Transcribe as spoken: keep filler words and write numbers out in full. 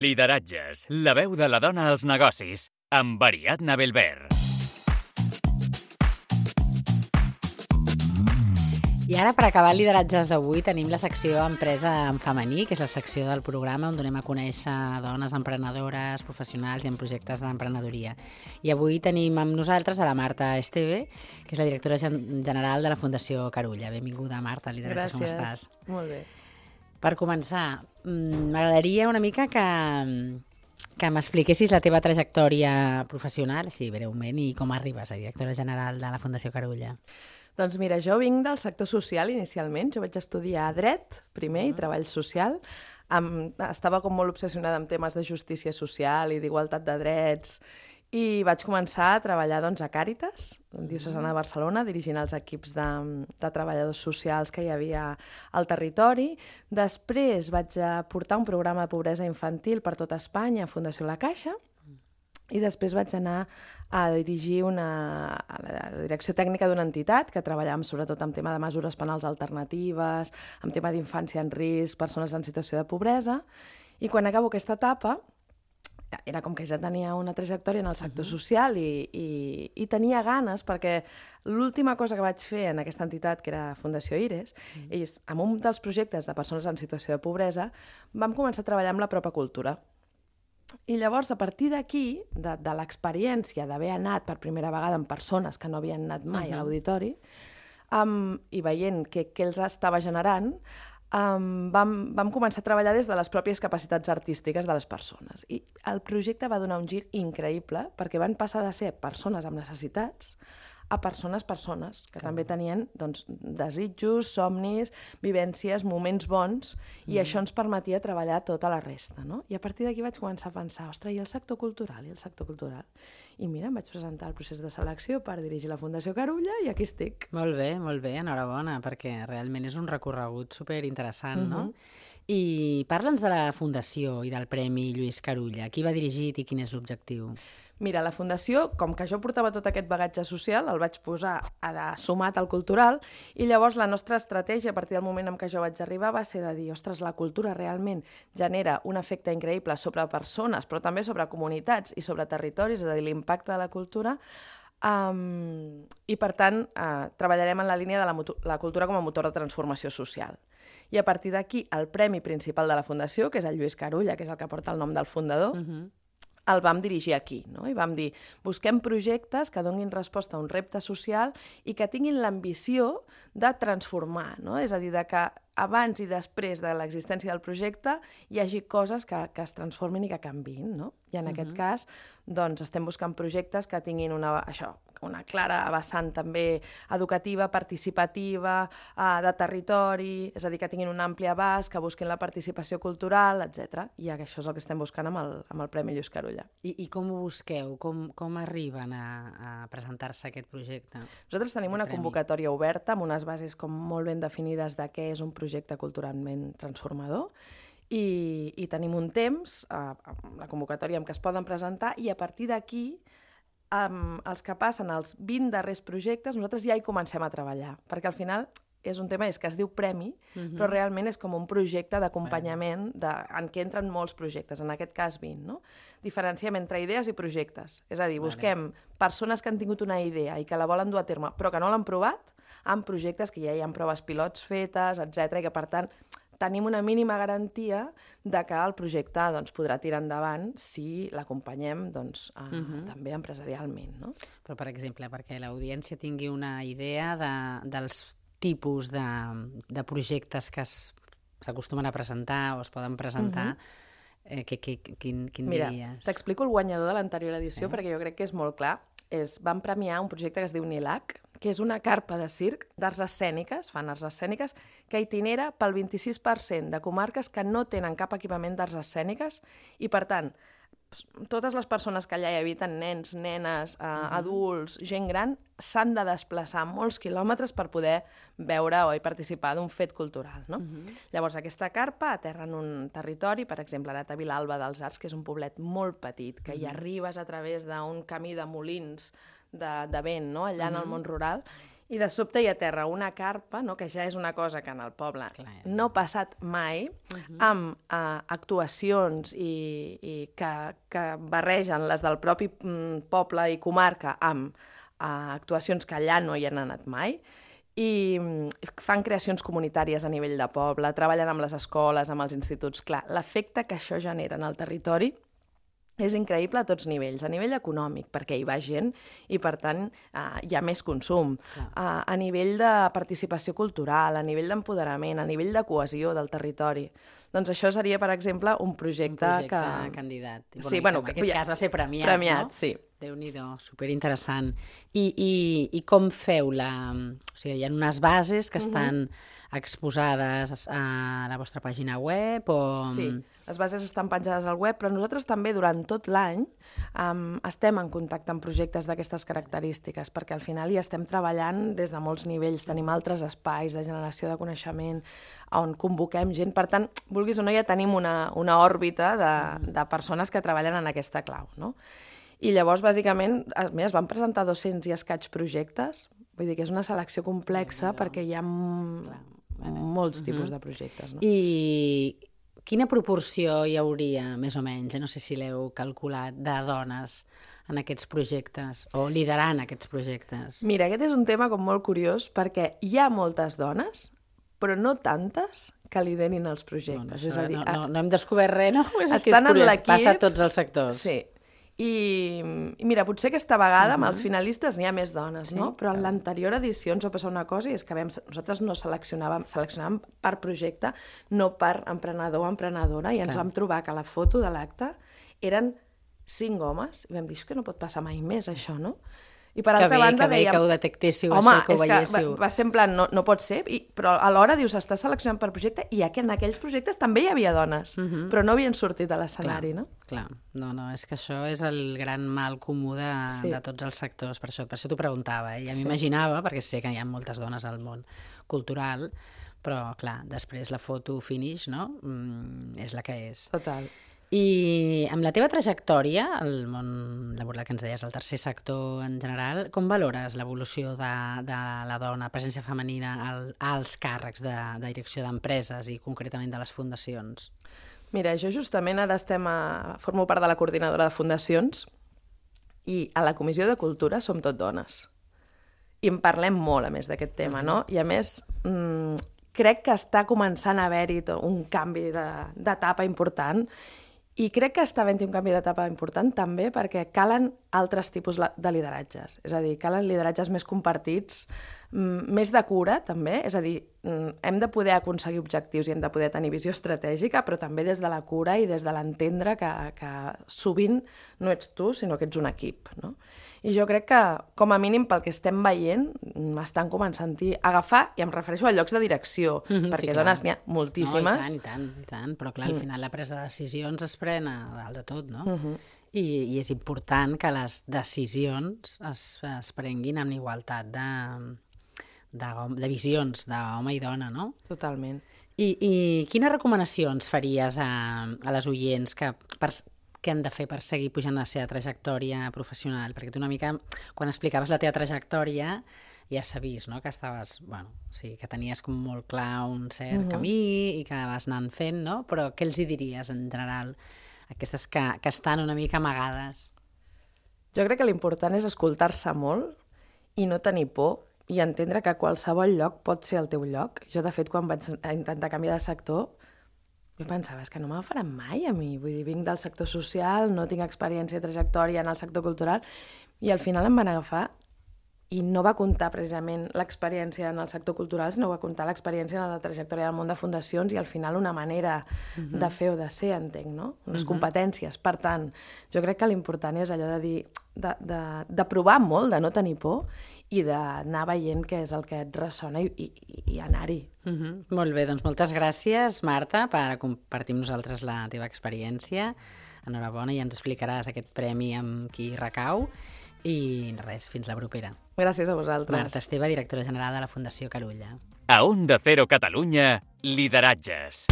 Lideratges, la veu de la dona als negocis, amb Ariadna Belver. I ara, per acabar el lideratges d'avui, tenim la secció Empresa en femení, que és la secció del programa on donem a conèixer dones emprenedores, professionals i en projectes d'emprenedoria. I avui tenim amb nosaltres a la Marta Esteve, que és la directora general de la Fundació Carulla. Benvinguda, Marta, lideratges, com estàs? Gràcies, molt bé. Per començar, m'agradaria una mica que, que m'expliquessis la teva trajectòria professional, així breument, i com arribes a directora general de la Fundació Carulla. Doncs mira, jo vinc del sector social inicialment. Jo vaig estudiar dret, primer, i treball social. Am, estava com molt obsessionada amb temes de justícia social i d'igualtat de drets, i vaig començar a treballar doncs, a Càritas, diocesana de Barcelona, dirigint els equips de, de treballadors socials que hi havia al territori. Després vaig portar un programa de pobresa infantil per tot Espanya a Fundació La Caixa, i després vaig anar a dirigir una, a la direcció tècnica d'una entitat que treballàvem sobretot en tema de mesures penals alternatives, en tema d'infància en risc, persones en situació de pobresa, i quan acabo aquesta etapa era com que ja tenia una trajectòria en el sector uh-huh. social i, i, i tenia ganes, perquè l'última cosa que vaig fer en aquesta entitat, que era Fundació Ires, uh-huh. és, amb un dels projectes de persones en situació de pobresa, vam començar a treballar amb la pròpia cultura. I llavors, a partir d'aquí, de, de l'experiència d'haver anat per primera vegada amb persones que no havien anat mai uh-huh. a l'auditori, um, i veient què, què els estava generant, Um, vam, vam començar a treballar des de les pròpies capacitats artístiques de les persones. I el projecte va donar un gir increïble perquè van passar de ser persones amb necessitats a persones, persones, que Clar. també tenien doncs, desitjos, somnis, vivències, moments bons, i mm. això ens permetia treballar tota la resta. No? I a partir d'aquí vaig començar a pensar, ostres, i el sector cultural, i el sector cultural? I mira, em vaig presentar el procés de selecció per dirigir la Fundació Carulla i aquí estic. Molt bé, molt bé, enhorabona, perquè realment és un recorregut superinteressant, mm-hmm. no? I parla'ns de la Fundació i del Premi Lluís Carulla. Qui va dirigit i quin és l'objectiu? Mira, la Fundació, com que jo portava tot aquest bagatge social, el vaig posar a sumat al cultural, i llavors la nostra estratègia, a partir del moment en què jo vaig arribar, va ser de dir, ostres, la cultura realment genera un efecte increïble sobre persones, però també sobre comunitats i sobre territoris, és a dir, l'impacte de la cultura, um, i per tant uh, treballarem en la línia de la, la cultura com a motor de transformació social. I a partir d'aquí, el premi principal de la Fundació, que és el Lluís Carulla, que és el que porta el nom del fundador, uh-huh. el vam dirigir aquí, no? I vam dir, busquem projectes que donin resposta a un repte social i que tinguin l'ambició de transformar, no? És a dir, de que abans i després de l'existència del projecte hi hagi coses que, que es transformin i que canviïn, no? I en uh-huh. aquest cas, doncs, estem buscant projectes que tinguin una, això, una clara vessant també educativa, participativa, eh, de territori, és a dir, que tinguin un ampli abast, que busquin la participació cultural, etcètera. I això és el que estem buscant amb el, amb el Premi Lluís Carulla. I, i com ho busqueu? Com, com arriben a, a presentar-se aquest projecte? Nosaltres tenim una convocatòria oberta amb unes bases com molt ben definides de què és un projecte culturalment transformador, i, i tenim un temps, eh, la convocatòria en què es poden presentar, i a partir d'aquí, Um, els que passen els vint darrers projectes, nosaltres ja hi comencem a treballar, perquè al final és un tema és que es diu premi, uh-huh. però realment és com un projecte d'acompanyament de, en què entren molts projectes, en aquest cas vint. No? Diferenciem entre idees i projectes, és a dir, busquem vale. persones que han tingut una idea i que la volen dur a terme, però que no l'han provat, amb projectes que ja hi ha proves pilots fetes, etcètera, i que per tant tenim una mínima garantia de que el projecte doncs, podrà tirar endavant si l'acompanyem doncs, eh, uh-huh. també empresarialment. No? Però, per exemple, perquè l'audiència tingui una idea de, dels tipus de, de projectes que s'acostumen a presentar o es poden presentar, uh-huh. eh, que, que, quin, quin Mira, diries? Mira, t'explico el guanyador de l'anterior edició, sí. perquè jo crec que és molt clar. És, van premiar un projecte que es diu NILAC, que és una carpa de circ d'arts escèniques, fan arts escèniques, que itinera pel vint-i-sis per cent de comarques que no tenen cap equipament d'arts escèniques i, per tant, totes les persones que allà hi habiten, nens, nenes, eh, uh-huh. adults, gent gran, s'han de desplaçar molts quilòmetres per poder veure o participar d'un fet cultural. No? Uh-huh. Llavors, aquesta carpa aterra en un territori, per exemple, a Vilalba dels Arcs, que és un poblet molt petit, que uh-huh. hi arribes a través d'un camí de molins de, de vent, no? allà uh-huh. en el món rural, I de sobte hi aterra una carpa, no? Que ja és una cosa que en el poble Clar. no ha passat mai, uh-huh. amb uh, actuacions i, i que, que barregen les del propi mm, poble i comarca amb uh, actuacions que allà no hi han anat mai, i mm, fan creacions comunitàries a nivell de poble, treballen amb les escoles, amb els instituts. Clar, l'efecte que això genera en el territori és increïble a tots nivells, a nivell econòmic, perquè hi va gent i, per tant, eh, hi ha més consum. Eh, a nivell de participació cultural, a nivell d'empoderament, a nivell de cohesió del territori. Doncs això seria, per exemple, un projecte, un projecte que... candidat. Sí, I, bueno, que en que aquest ja... cas va ser premiat, premiat no? Sí. Déu-n'hi-do, superinteressant. I, i, I com feu la... O sigui, hi ha unes bases que estan uh-huh. exposades a la vostra pàgina web o... Sí, les bases estan penjades al web, però nosaltres també durant tot l'any um, estem en contacte amb projectes d'aquestes característiques, perquè al final hi estem treballant des de molts nivells, tenim altres espais de generació de coneixement on convoquem gent, per tant, vulguis o no, ja tenim una, una òrbita de, de persones que treballen en aquesta clau, no? I llavors, bàsicament, es van presentar dos-cents i escaig projectes, vull dir que és una selecció complexa perquè hi ha molts tipus de projectes. No? I quina proporció hi hauria, més o menys, no sé si l'heu calculat, de dones en aquests projectes o liderant aquests projectes? Mira, aquest és un tema com molt curiós perquè hi ha moltes dones, però no tantes que liderin els projectes. Bueno, és a dir, no, no, no hem descobert res, no? És estan que és en l'equip... Passa a tots els sectors. Sí. I, I mira, potser aquesta vegada amb els finalistes n'hi ha més dones, Sí? no? Però en l'anterior edició ens va passar una cosa i és que vam, nosaltres no seleccionàvem, seleccionàvem per projecte, no per emprenedor o emprenedora, i ens Clar. vam trobar que a la foto de l'acte eren cinc homes, i vam dir, és que no pot passar mai més això, no? I per que altra bé, banda que bé dèiem... que ho detectéssiu, Home, això, que ho és veiéssiu. Que va, va ser en plan, no, no pot ser, i, però alhora dius, està seleccionant per projecte, i en aquells projectes també hi havia dones, uh -huh. però no havien sortit a l'escenari, no? Clar, no, no, és que això és el gran mal comú de, sí. de tots els sectors, per això, per això t'ho preguntava, eh? Ja sí. m'imaginava, perquè sé que hi ha moltes dones al món cultural, però, clar, després la foto finish, no?, mm, és la que és. Total. I amb la teva trajectòria, el món laboral que ens deies, el tercer sector en general, com valores l'evolució de, de la dona, presència femenina al, als càrrecs de, de direcció d'empreses i concretament de les fundacions? Mira, jo justament ara estem a... formo part de la coordinadora de fundacions i a la Comissió de Cultura som tot dones. I en parlem molt, a més, d'aquest tema, no? I a més, mmm, crec que està començant a haver-hi un canvi d'etapa important. I crec que està havent-hi un canvi d'etapa important també perquè calen altres tipus de lideratges. És a dir, calen lideratges més compartits, més de cura, també. És a dir, hem de poder aconseguir objectius i hem de poder tenir visió estratègica, però també des de la cura i des de l'entendre que, que sovint no ets tu, sinó que ets un equip, no? I jo crec que, com a mínim, pel que estem veient, estan començant a agafar, i em refereixo a llocs de direcció, mm-hmm, perquè sí, dones n'hi ha moltíssimes. No, i tant, i tant, i tant, però clar, al final la presa de decisions es pren a dalt de tot, no? Mm-hmm. I, I és important que les decisions es, es prenguin amb igualtat de, de, de visions d'home i dona, no? Totalment. I, i quines recomanacions faries a, a les oients que... Per, què han de fer per seguir pujant la seva trajectòria professional? Perquè tu una mica, quan explicaves la teva trajectòria, ja s'ha vist, no?, que estaves, bueno, sí, que tenies com molt clar un cert uh-huh. camí i que vas anant fent, no? Però què els hi diries en general, aquestes que, que estan una mica amagades? Jo crec que l'important és escoltar-se molt i no tenir por i entendre que qualsevol lloc pot ser el teu lloc. Jo, de fet, quan vaig intentar canviar de sector, jo pensava, és que no me'l faran mai a mi. Vull dir, vinc del sector social, no tinc experiència i trajectòria en el sector cultural, i al final em van agafar i no va comptar precisament l'experiència en el sector cultural, sinó va comptar l'experiència en la trajectòria del món de fundacions i al final una manera uh-huh. de fer o de ser, entenc, no? Unes uh-huh. competències. Per tant, jo crec que l'important és allò de dir, de, de, de provar molt, de no tenir por i d'anar veient què és el que et ressona i, i, i anar-hi. Uh-huh. Molt bé, doncs moltes gràcies, Marta, per compartir amb nosaltres la teva experiència. Enhorabona, i ens explicaràs aquest premi amb qui recau. I res, fins la propera. Gràcies a vosaltres. Marta Esteve, directora general de la Fundació Carulla. A Onda Cero Catalunya, Lideratges.